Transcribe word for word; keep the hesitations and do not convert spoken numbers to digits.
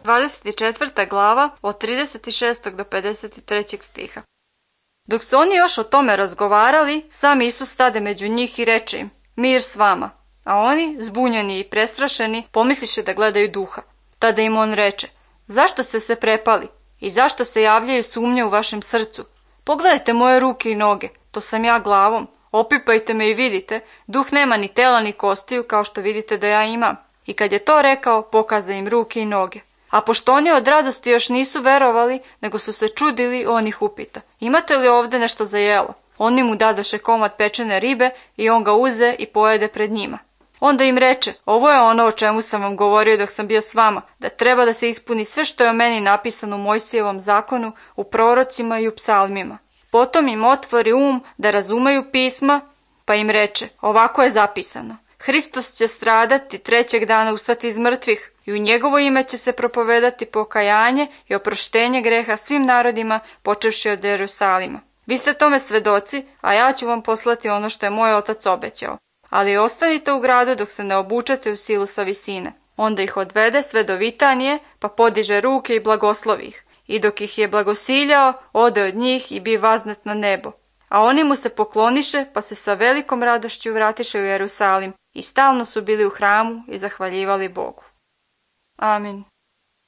dvadeset četvrta glava od trideset šestog do pedeset trećeg stiha. Dok su oni još o tome razgovarali, sam Isus stade među njih i reče im: mir s vama. A oni, zbunjeni i prestrašeni, pomisliše da gledaju duha. Tada im on reče: zašto ste se prepali i zašto se javljaju sumnje u vašem srcu? Pogledajte moje ruke i noge, to sam ja glavom. Opipajte me i vidite, duh nema ni tela ni kostiju kao što vidite da ja imam. I kad je to rekao, pokaza im ruke i noge. A pošto oni od radosti još nisu verovali, nego su se čudili, on ih upita: imate li ovde nešto za jelo? Oni mu dadoše komad pečene ribe i on ga uze i pojede pred njima. Onda im reče: ovo je ono o čemu sam vam govorio dok sam bio s vama, da treba da se ispuni sve što je o meni napisano u Mojsijevom zakonu, u prorocima i u psalmima. Potom im otvori um da razumeju pisma, pa im reče: ovako je zapisano: Hristos će stradati, trećeg dana ustati iz mrtvih i u njegovo ime će se propovedati pokajanje i oproštenje greha svim narodima, počevši od Jerusalima. Vi ste tome svedoci, a ja ću vam poslati ono što je moj otac obećao. Ali ostanite u gradu dok se ne obučete u silu sa visine. Onda ih odvede sve do Vitanije, pa podiže ruke i blagoslovi ih. I dok ih je blagosiljao, ode od njih i bi vaznet na nebo. A oni mu se pokloniše, pa se sa velikom radošću vratiše u Jerusalim i stalno su bili u hramu i zahvaljivali Bogu. Amin.